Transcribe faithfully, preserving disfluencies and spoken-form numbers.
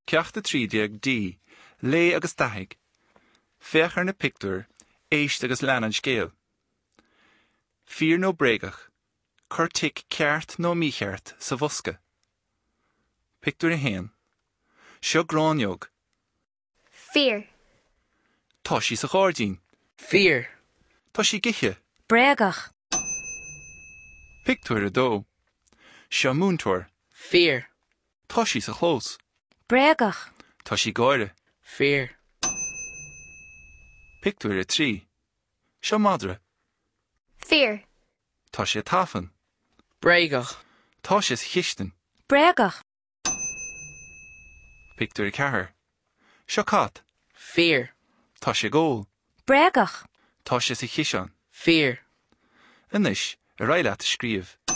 Ceacht a trí déag D, Léigh agus Dathaigh. Féach ar na pictiúir, éist agus lean an scéal. Fíor nó bréagach, cuir tic ceart nó mícheart sa bhosca. Pictiúr a haon. Seo gráinneog. Fíor. Tá sí sa ghairdín. Fíor. Tá sí ag ithe. Bréagach. Pictiúr a dó. Seo múinteoir. Fíor. Tá sí sa chlós. Bréagach. Tá sí ag gáire. Fíor. Pictiúr a trí. Seo madra. Fíor. Tá sé tafann. Bréagach. Tá sé sa chistin. Bréagach. Pictiúr a ceathair. Seo cat. Fíor. Tá sé ag ól. Bréagach. Tá sé sa chiseán. Fíor. Anois, ar aghaidh leat a scríobh.